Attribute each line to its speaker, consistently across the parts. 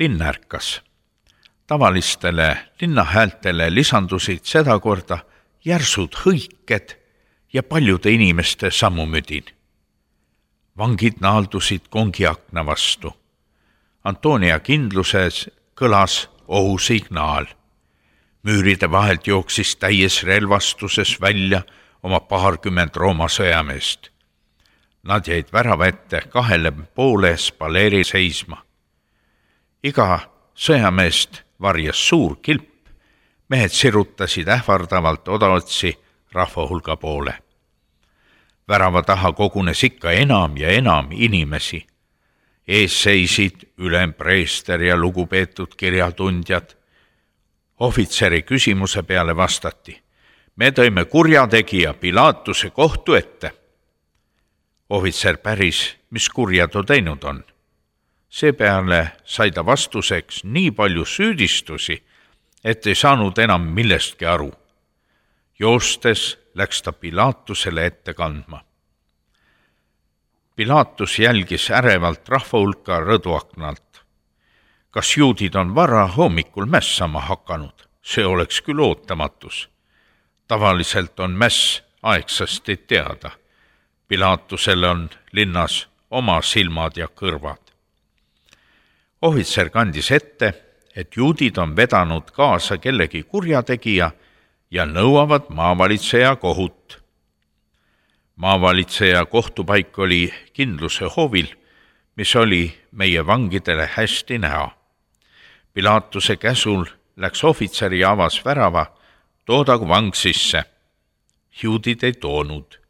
Speaker 1: Linn ärkas. Tavalistele linnahäältele lisandusid sedakorda järsud hõiked ja paljude inimeste sammumüdin. Vangid naaldusid kongiakna vastu. Antonia kindluses kõlas ohusignaal. Müüride vahelt jooksis täies relvastuses välja oma 20 Rooma sõjameest. Nad jäid värava ette 2 spaleeri seisma. Iga sõjameest varjas suur kilp, mehed sirutasid ähvardavalt odaotsi rahvahulga poole. Värava taha kogunes ikka enam ja enam inimesi. Ees seisid ülempreester ja lugupeetud kirjatundjad. Ohvitseri küsimuse peale vastati: me tõime kurjategija Pilaatuse kohtu ette. Ohvitser päris, mis kurja ta teinud on. Seepeale sai ta vastuseks nii palju süüdistusi, et ei saanud enam millestki aru. Joostes läks ta Pilaatusele ette kandma. Pilaatus jälgis ärevalt rahvahulka rõduaknalt. Kas juudid on vara hommikul mässama hakanud? See oleks küll ootamatus. Tavaliselt on mäss aegsasti teada. Pilaatusel on linnas oma silmad ja kõrvad. Ohvitser kandis ette, et juudid on vedanud kaasa kellegi kurjategija ja nõuavad maavalitseja kohut. Maavalitseja kohtupaik oli kindluse hoovil, mis oli meie vangidele hästi näha. Pilaatuse käsul läks ohvitser ja avas värava, toodagu vang sisse. Juudid ei toonud.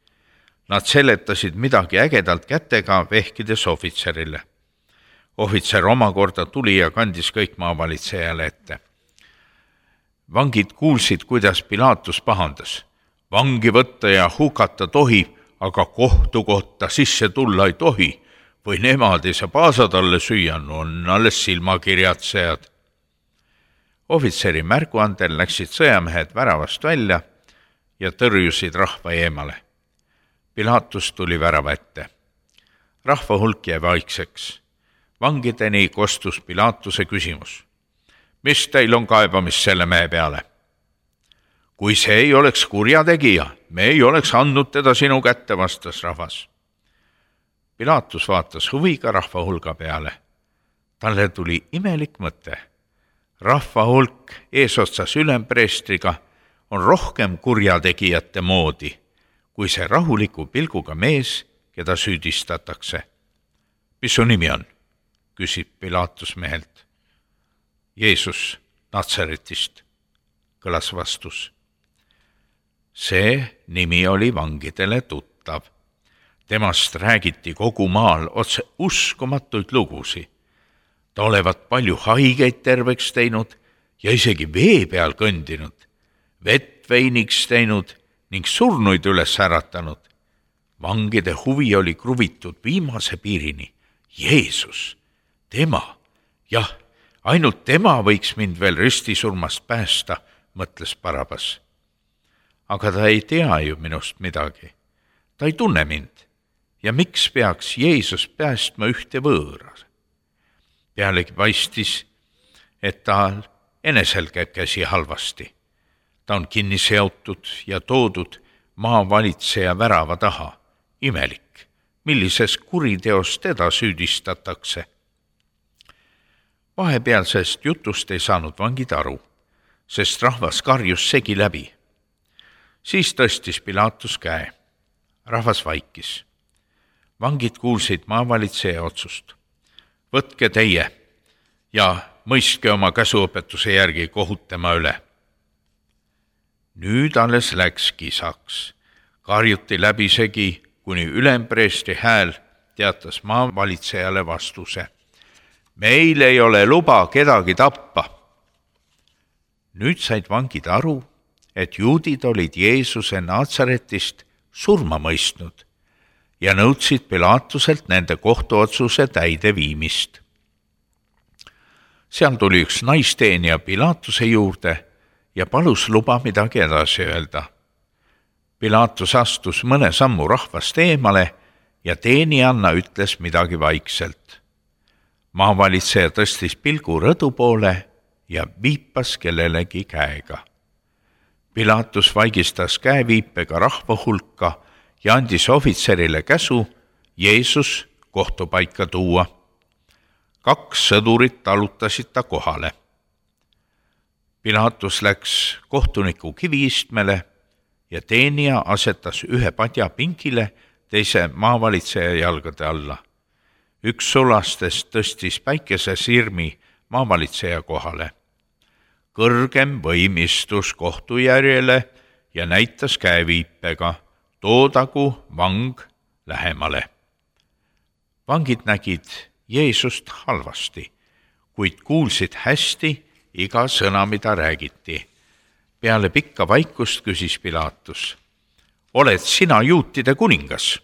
Speaker 1: Nad seletasid midagi ägedalt kätega, vehkides ohvitserile. Ohvitser omakorda tuli ja kandis kõik maavalitsejale ette. Vangid kuulsid, kuidas Pilaatus pahandas. Vangi võtta ja hukata tohib, aga kohtukohta sisse tulla ei tohi, või nemad ei saa paasatalle süüa, on alles silmakirjatsejad. Ohvitseri märguandel läksid sõjamehed väravast välja ja tõrjusid rahva eemale. Pilaatus tuli värava ette. Rahvahulk jäi vaikseks. Vangideni kostus Pilaatuse küsimus. Mis teil on kaebamist selle mehe peale? Kui see ei oleks kurjategija, me ei oleks andnud teda sinu kätte, vastas rahvas. Pilaatus vaatas huviga rahvahulga peale. Talle tuli imelik mõte. Rahvahulk eesotsas ülempreestriga on rohkem kurjategijate moodi, kui see rahuliku pilguga mees, keda süüdistatakse. Mis su nimi on? Küsib Pilaatus mehelt. Jeesus Natsaretist, kõlas vastus. See nimi oli vangidele tuttav. Temast räägiti kogu maal otse uskumatuid lugusi. Ta olevat palju haigeid terveks teinud ja isegi vee peal kõndinud, vett veiniks teinud ning surnuid üles äratanud. Vangide huvi oli kruvitud viimase piirini. Jeesus, tema, jah, ainult tema võiks mind veel ristisurmast päästa, mõtles Barabas. Aga ta ei tea ju minust midagi. Ta ei tunne mind. Ja miks peaks Jeesus päästma ühte võõras? Pealegi paistis, et tal enesel käib käsi halvasti. Ta on kinni seotud ja toodud maavalitseja värava taha. Imelik, millises kuriteos teda süüdistatakse. Vahepealsest jutust ei saanud vangid aru, sest rahvas karjus segi läbi. Siis tõstis Pilaatus käe. Rahvas vaikis. Vangid kuulsid maavalitseja otsust. Võtke teie ja mõistke oma käsuõpetuse järgi kohut tema üle. Nüüd alles läks kisaks. Karjuti läbisegi, kuni ülempreestri hääl teatas maavalitsejale vastuse. Meil ei ole luba kedagi tappa. Nüüd said vangid aru, et juudid olid Jeesuse Natsaretist surma mõistnud ja nõudsid Pilaatuselt nende kohtuotsuse täide viimist. Seal tuli üks naisteenija Pilaatuse juurde ja palus luba midagi edasi öelda. Pilaatus astus mõne sammu rahvast eemale ja teenijanna ütles midagi vaikselt. maavalitseja tõstis pilgu rõdu poole ja viipas kellelegi käega. Pilatus vaigistas käeviipega rahva hulka ja andis ohvitserile käsu Jeesus kohtupaika tuua. 2 sõdurit talutasid ta kohale. Pilatus läks kohtuniku kiviistmele ja teenija asetas ühe padja pingile, teise maavalitseja jalgade alla. Üks sulastest tõstis päikesesirmi maavalitseja kohale. Kõrgem võim istus kohtujärjele ja näitas käeviipega, toodagu vang lähemale. Vangid nägid Jeesust halvasti, kuid kuulsid hästi iga sõna, mida räägiti. Peale pikka vaikust küsis Pilatus: oled sina juutide kuningas?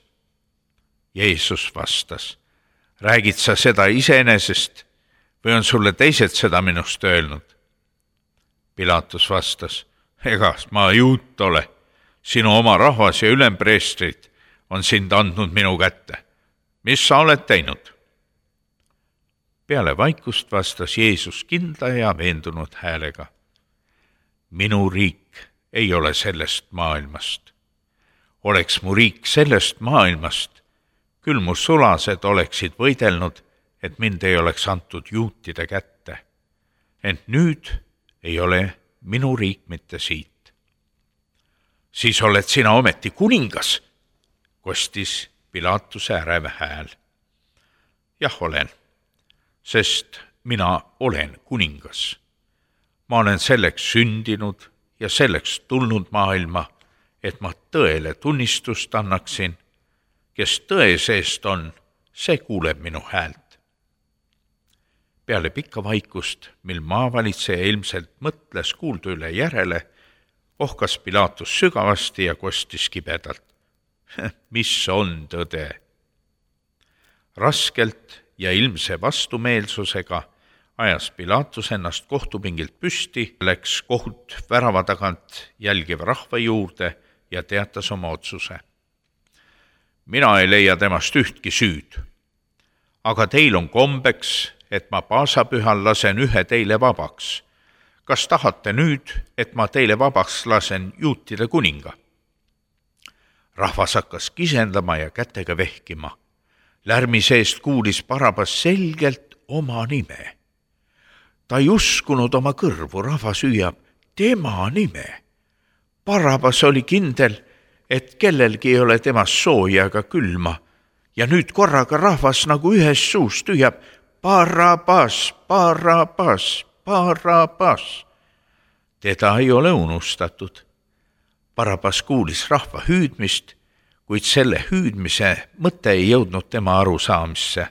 Speaker 1: Jeesus vastas: räägid sa seda iseenesest või on sulle teised seda minust öelnud? Pilatus vastas: ega ma juut ole, sinu oma rahvas ja ülempreestrid on sind andnud minu kätte. Mis sa oled teinud? Peale vaikust vastas Jeesus kindla ja veendunud häälega: minu riik ei ole sellest maailmast. Oleks mu riik sellest maailmast, küll mu sulased oleksid võidelnud, et mind ei oleks antud juutide kätte. Ent nüüd ei ole minu riik mitte siit. Siis oled sina ometi kuningas, kostis Pilatuse ärev hääl. Jah, olen, sest mina olen kuningas. Ma olen selleks sündinud ja selleks tulnud maailma, et ma tõele tunnistust annaksin. Kes tõe seest on, see kuuleb minu häält. Peale pikka vaikust, mil maavalitseja ilmselt mõtles kuuldu üle järele, ohkas Pilatus sügavasti ja kostis kibedalt: mis on tõde? Raskelt ja ilmse vastumeelsusega ajas Pilatus ennast kohtupingilt püsti, läks kohut värava tagant jälgiva rahva juurde ja teatas oma otsuse. Mina ei leia temast ühtki süüd, aga teil on kombeks, et ma paasapühal lasen ühe teile vabaks. Kas tahate nüüd, et ma teile vabaks lasen juutide kuninga? Rahvas hakkas kisendama ja kätega vehkima. Lärmi seest kuulis Barabas selgelt oma nime. Ta ei uskunud oma kõrvu, rahvas hüüab tema nime. Barabas oli kindel, et kellelgi ei ole temast sooja ega külma, ja nüüd korraga rahvas nagu ühes suust hüüab Barabas, Barabas, Barabas. Teda ei ole unustatud. Barabas kuulis rahva hüüdmist, kuid selle hüüdmise mõte ei jõudnud tema arusaamisse.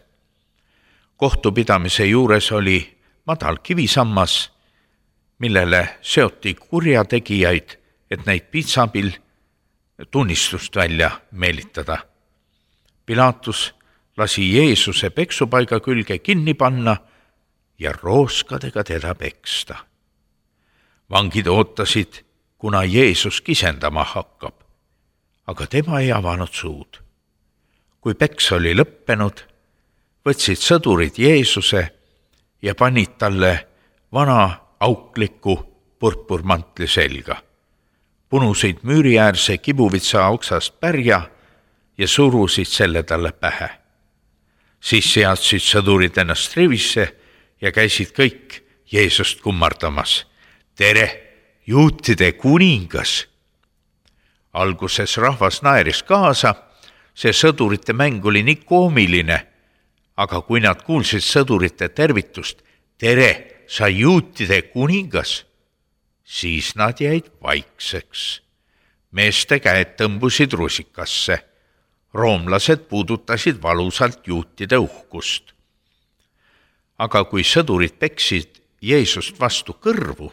Speaker 1: Kohtupidamise juures oli madal kivisammas, millele seoti kurjategijaid, et neid pitsabil tunnistust välja meelitada. Pilatus lasi Jeesuse peksupaiga külge kinni panna ja rooskadega teda peksta. Vangid ootasid, kuna Jeesus kisendama hakkab, aga tema ei avanud suud. Kui peks oli lõppenud, võtsid sõdurid Jeesuse ja panid talle vana aukliku purpurmantli selga, punusid müüriäärse kibuvitsa oksast pärja ja surusid selle talle pähe. Siis seadsid sõdurid ennast rivisse ja käisid kõik Jeesust kummardamas. Tere, juutide kuningas! Alguses rahvas naeris kaasa, see sõdurite mäng oli nii koomiline, aga kui nad kuulsid sõdurite tervitust, tere, sa juutide kuningas, siis nad jäid vaikseks. Meeste käed tõmbusid rusikasse. Roomlased puudutasid valusalt juutide uhkust. Aga kui sõdurid peksid Jeesust vastu kõrvu,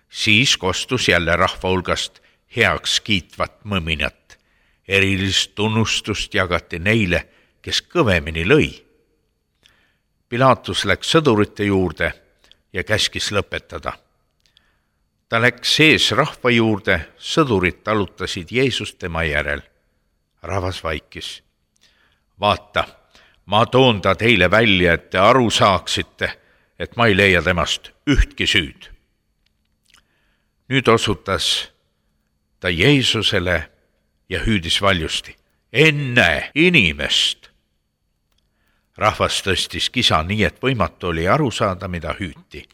Speaker 1: siis kostus jälle rahva hulgast heaks kiitvat mõminat. Erilist tunnustust jagati neile, kes kõvemini lõi. Pilatus läks sõdurite juurde ja käskis lõpetada. Ta läks sees rahva juurde, sõdurid talutasid Jeesust tema järel. Rahvas vaikis. Vaata, ma toon ta teile välja, et te aru saaksite, et ma ei leia temast ühtki süüd. Nüüd osutas ta Jeesusele ja hüüdis valjusti: enne inimest! Rahvas tõstis kisa nii, et võimatu oli aru saada, mida hüüti.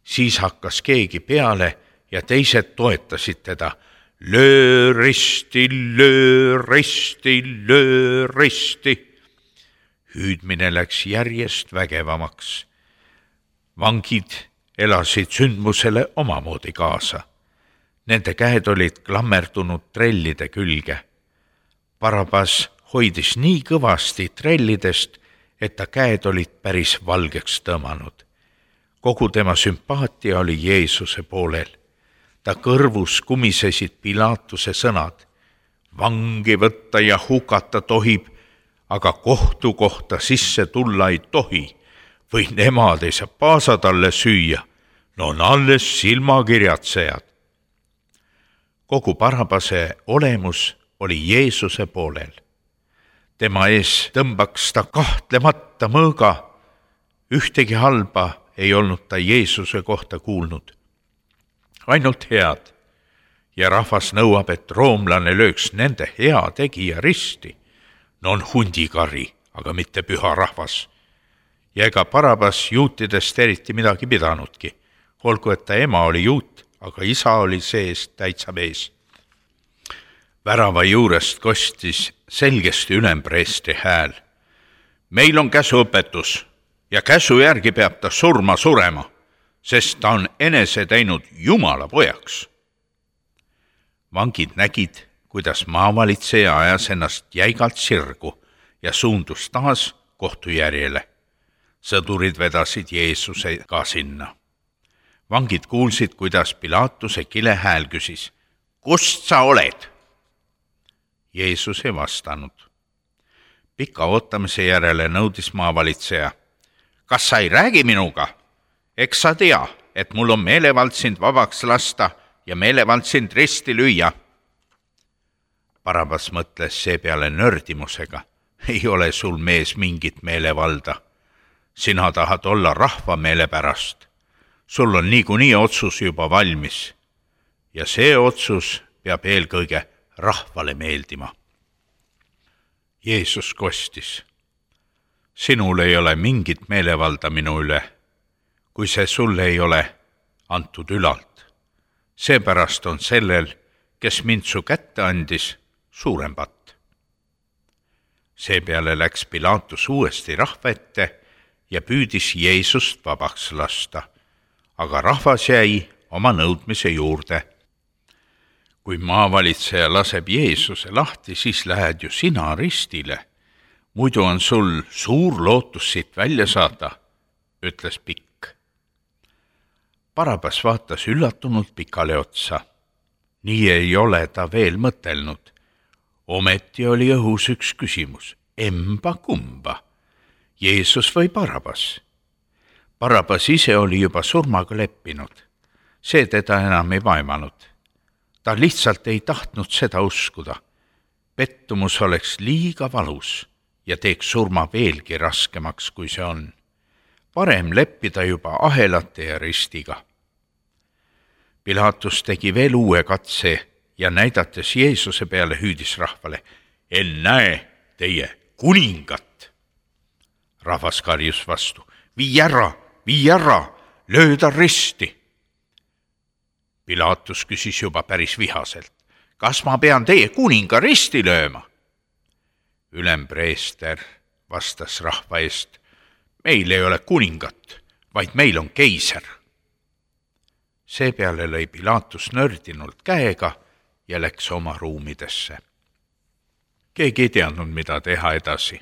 Speaker 1: Siis hakkas keegi peale ja teised toetasid teda: löö risti, löö risti, löö risti! Hüüdmine läks järjest vägevamaks. Vangid elasid sündmusele omamoodi kaasa. Nende käed olid klammerdunud trellide külge. Barabas hoidis nii kõvasti trellidest, et ta käed olid päris valgeks tõmmanud. Kogu tema sümpaatia oli Jeesuse poolel. Ta kõrvus kumisesid Pilatuse sõnad: vangi võtta ja hukata tohib, aga kohtu kohta sisse tulla ei tohi, või nemad ei saa paasa talle süüa, no on alles silmakirjatsejad. Kogu Barabase olemus oli Jeesuse poolel. Tema ees tõmbaks ta kahtlemata mõõga. Ühtegi halba ei olnud ta Jeesuse kohta kuulnud. Ainult head. Ja rahvas nõuab, et roomlane lööks nende hea tegija risti. No on hundikari, aga mitte püha rahvas. Ja ega Barabas juutidest eriti midagi pidanudki. Olgu, et ta ema oli juut, aga isa oli sees täitsa mees. Värava juurest kostis selgesti ülempreestri hääl: meil on käsuõpetus ja käsu järgi peab ta surema, sest ta on enese teinud Jumala pojaks. Vangid nägid, kuidas maavalitseja ajas ennast jäigalt sirgu ja suundus taas kohtujärjele. Sõdurid vedasid Jeesuse ka sinna. Vangid kuulsid, kuidas Pilatuse kilehääl küsis: kust sa oled? Jeesus ei vastanud. Pika ootamise järele nõudis maavalitseja: kas sa ei räägi minuga? Eks sa tea, et mul on meelevald sind vabaks lasta ja meelevald sind risti lüüa. Barabas mõtles seepeale nördimusega: ei ole sul, mees, mingit meelevalda. Sina tahad olla rahva meele pärast. Sul on niikuinii otsus juba valmis. Ja see otsus peab eelkõige rahvale meeldima. Jeesus kostis: sinul ei ole mingit meelevalda minu üle, kui see sulle ei ole antud ülalt. Seepärast on sellel, kes mind su kätte andis, suurem patt. Seepeale läks Pilatus uuesti rahva ette ja püüdis Jeesust vabaks lasta, aga rahvas jäi oma nõudmise juurde. Kui maavalitseja laseb Jeesuse lahti, siis lähed ju sina ristile. Muidu on sul suur lootus siit välja saada, ütles Pikk. Barabas vaatas üllatunult Pikale otsa. Nii ei ole ta veel mõtelnud. Ometi oli õhus üks küsimus: emba kumba, Jeesus või Barabas? Barabas ise oli juba surmaga leppinud. See teda enam ei vaimanud. Ta lihtsalt ei tahtnud seda uskuda. Pettumus oleks liiga valus ja teeks surma veelgi raskemaks, kui see on. Parem leppida juba ahelate ja ristiga. Pilatus tegi veel uue katse ja näidates Jeesuse peale hüüdis rahvale: ennäe teie kuningat! Rahvas karjus vastu: vii ära, löö ta risti! Pilatus küsis juba päris vihaselt: kas ma pean teie kuninga risti lööma? Ülempreester vastas rahva eest: meil ei ole kuningat, vaid meil on keiser. Seepeale lõi Pilatus nördinult käega ja läks oma ruumidesse. Keegi ei teadnud, mida teha edasi.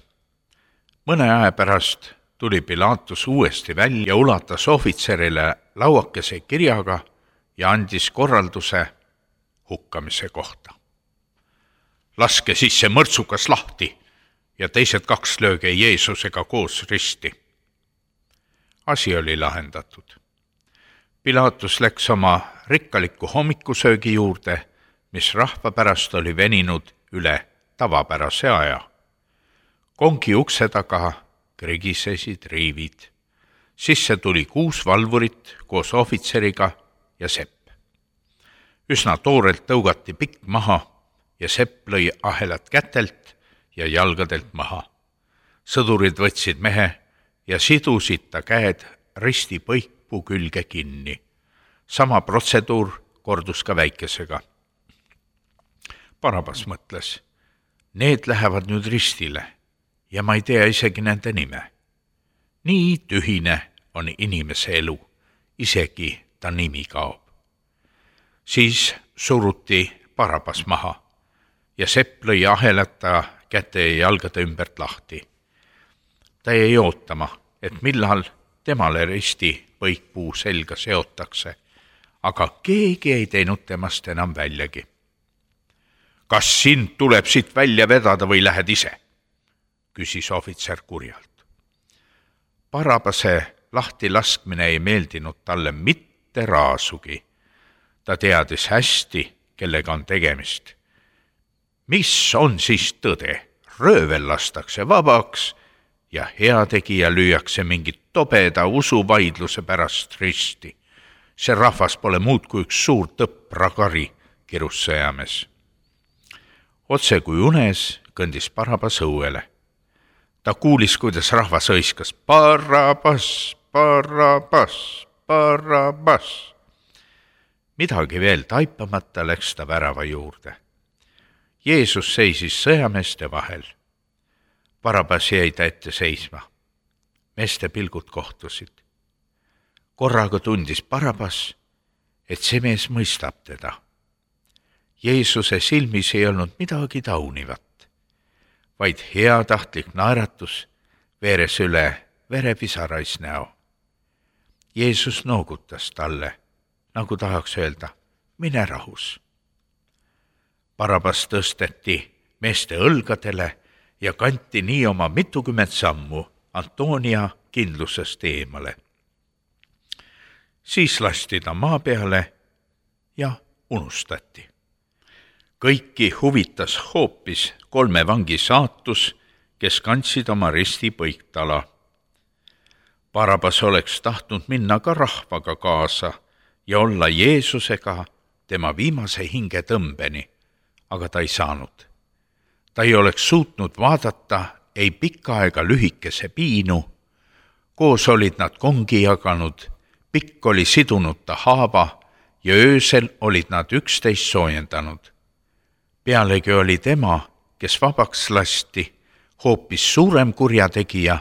Speaker 1: Mõne aja pärast tuli Pilatus uuesti välja ja ulatas ohvitserile lauakese kirjaga ja andis korralduse hukkamise kohta. Laske sisse mõrtsukas lahti ja teised 2 lööge Jeesusega koos risti. Asi oli lahendatud. Pilatus läks oma rikkaliku hommikusöögi juurde, mis rahva pärast oli veninud üle tavapärase aja. kongi ukse taga krigisesid riivid. Sisse tuli 6 valvurit koos ohvitseriga ja Sepp. Üsna toorelt tõugati pikk maha ja Sepp lõi ahelad kätelt ja jalgadelt maha. Sõdurid võtsid mehe ja sidusid ta käed risti põikpuu külge kinni. Sama protseduur kordus ka väikesega. Barabas mõtles, need lähevad nüüd ristile ja ma ei tea isegi nende nime. Nii tühine on inimese elu, isegi ta nimi kaob. Siis suruti Barabas maha ja Sepp lõi ahelata käte ja jalgade ümbert lahti. Ta jäi ootama, et millal temale risti põikpuu selga seotakse, aga keegi ei teinud temast enam väljagi. Kas sind tuleb siit välja vedada või lähed ise? Küsis ohvitser kurjalt. Barabase lahti laskmine ei meeldinud talle mitte raasugi. Ta teadis hästi, kellega on tegemist. Mis on siis tõde? Röövel lastakse vabaks ja heategija lüüakse mingit tobeda usuvaidluse pärast risti. See rahvas pole muud kui üks suur tõprakari, kirus sõjamees. Otse kui unes kõndis Barabas õuele. Ta kuulis, kuidas rahvas õiskas Barabas, Barabas, Barabas. Midagi veel taipamata läks ta värava juurde. Jeesus seisis sõjameeste vahel. Barabas jäi ta ette seisma. Meeste pilgud kohtusid. Korraga tundis Barabas, et see mees mõistab teda. Jeesuse silmis ei olnud midagi taunivat, vaid heatahtlik naeratus veeres üle verepisarais näo. Jeesus noogutas talle, nagu tahaks öelda, mine rahus. Barabas tõsteti meeste õlgadele ja kanti nii oma 20 sammu Antonia kindlusest eemale. Siis lasti ta maa peale ja unustati. Kõiki huvitas hoopis 3 vangi saatus, kes kandsid oma risti põiktala. Barabas oleks tahtnud minna ka rahvaga kaasa ja olla Jeesusega tema viimase hingetõmbeni, aga ta ei saanud. Ta ei oleks suutnud vaadata ei pikka ega lühikese piinu. Koos olid nad kongi jaganud, pikk oli sidunud ta haava ja öösel olid nad üksteist soojendanud. Pealegi oli tema, kes vabaks lasti, hoopis suurem kurjategija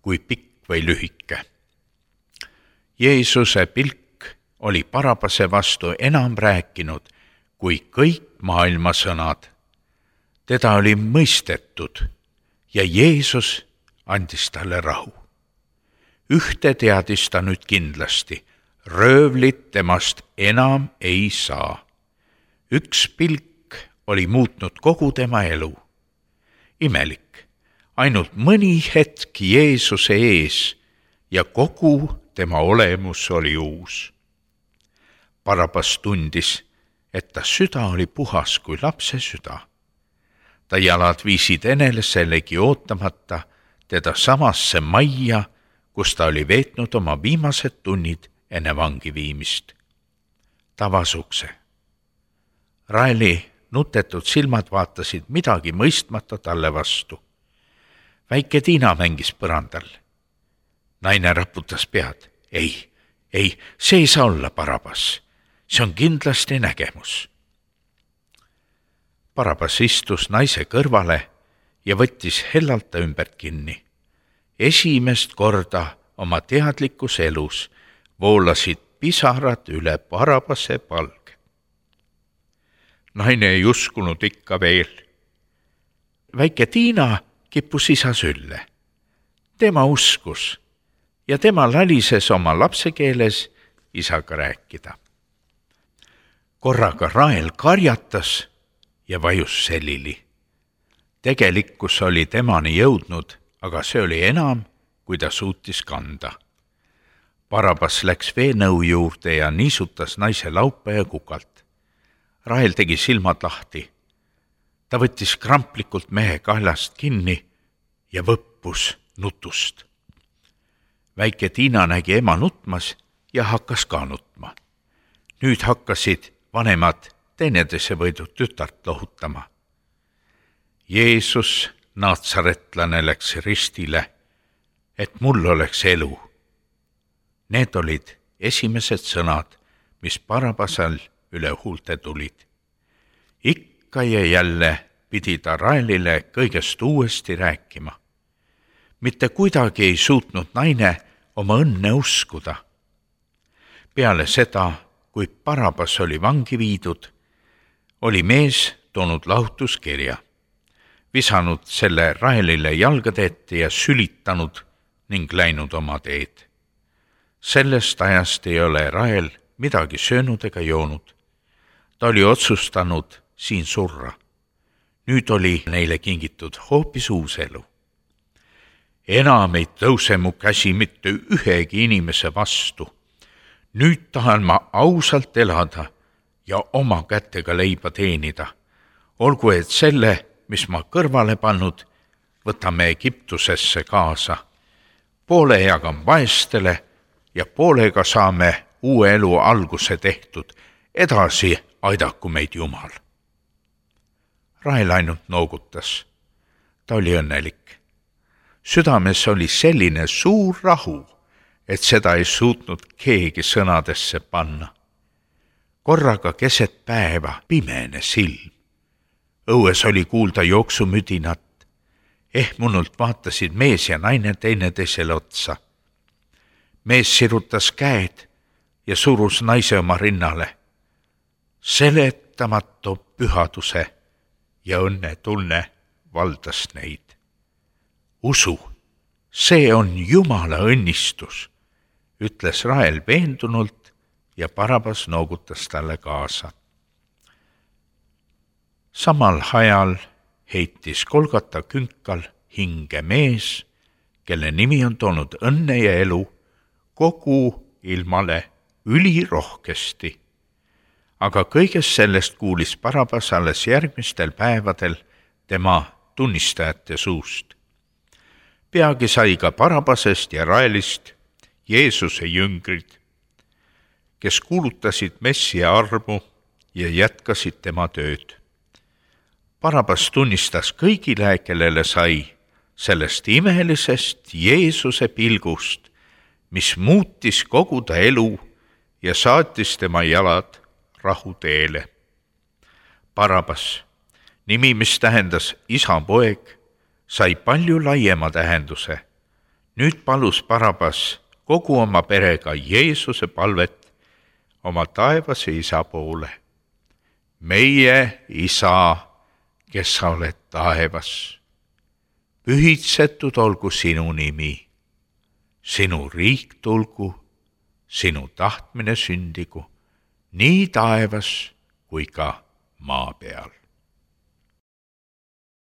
Speaker 1: kui pikk või lühike. Jeesuse pilk oli Barabase vastu enam rääkinud kui kõik maailma sõnad. Teda oli mõistetud ja Jeesus andis talle rahu. Ühte teadis ta nüüd kindlasti, röövlit temast enam ei saa. Üks pilk oli muutnud kogu tema elu. Imelik, ainult mõni hetk Jeesuse ees ja kogu tema olemus oli uus. Barabas tundis, et ta süda oli puhas kui lapse süda. Ta jalad viisid eneselegi ootamata teda samasse majja, kus ta oli veetnud oma viimased tunnid enne vangi viimist. Ta avas ukse. Raeli nutetud silmad vaatasid midagi mõistmata talle vastu. Väike Tiina mängis põrandal. Naine raputas pead. Ei, see ei saa olla Barabas. See on kindlasti nägemus. Barabas istus naise kõrvale ja võttis hellalt ta ümbert kinni. Esimest korda oma teadlikus elus voolasid pisarad üle Barabase palge. Naine ei uskunud ikka veel. Väike Tiina kippus isa sülle. Tema uskus ja tema lalises oma lapsekeeles isaga rääkida. Korraga Rael karjatas ja vajus selili. Tegelikkus oli temani jõudnud, aga see oli enam, kui ta suutis kanda. Barabas läks veenõu juurde ja niisutas naise laupa ja kukalt. Rael tegi silmad lahti. Ta võttis kramplikult mehe kaelast kinni ja võppus nutust. Väike Tiina nägi ema nutmas ja hakkas ka nutma. Nüüd hakkasid vanemad teineteise võidud tütart lohutama. Jeesus, naatsaretlane, läks ristile, et mul oleks elu. Need olid esimesed sõnad, mis Barabasel üle huulte tulid. Ikka ja jälle pidi ta Raelile kõigest uuesti rääkima. Mitte kuidagi ei suutnud naine oma õnne uskuda. Peale seda, kui Barabas oli vangi viidud, oli mees toonud lahutuskirja, visanud selle Raelile jalgade ette ja sülitanud ning läinud oma teed. Sellest ajast ei ole Rael midagi söönud ega joonud. Ta oli otsustanud siin surra. Nüüd oli neile kingitud hoopis uus elu. Enam ei tõuse mu käsi mitte ühegi inimese vastu. Nüüd tahan ma ausalt elada ja oma kätega leiba teenida. Olgu, et selle, mis ma kõrvale pannud, võtame Egiptusesse kaasa. Poole jagan vaestele ja poolega saame uue elu alguse tehtud. Edasi aidaku meid Jumal. Rael ainult noogutas. Ta oli õnnelik. Südames oli selline suur rahu, et seda ei suutnud keegi sõnadesse panna. Korraga keset päeva pimene silm. Õues oli kuulda jooksumüdinat. Ehmunult vaatasid mees ja naine teineteisele otsa. Mees sirutas käed ja surus naise oma rinnale. Seletamatu pühaduse ja õnnetunne valdas neid. Usu, see on Jumala õnnistus, ütles Rael veendunult ja Barabas noogutas talle kaasa. Samal ajal heitis Golgata künkal hinge mees, kelle nimi on toonud õnne ja elu kogu ilmale ülirohkesti. Aga kõigest sellest kuulis Barabas alles järgmistel päevadel tema tunnistajate suust. Peagi sai ka Barabasest ja Raelist Jeesuse jüngrid, kes kuulutasid Messia armu ja jätkasid tema tööd. Barabas tunnistas kõigile, kellele sai sellest imelisest Jeesuse pilgust, mis muutis kogu ta elu ja saatis tema jalad rahuteele. Barabas, nimi, mis tähendas isa poeg, sai palju laiema tähenduse. Nüüd palus Barabas kogu oma perega Jeesuse palvet oma taevase isa poole. Meie isa, kes sa oled taevas, pühitsetud olgu sinu nimi, sinu riik tulgu, sinu tahtmine sündigu, nii taevas kui ka maa peal.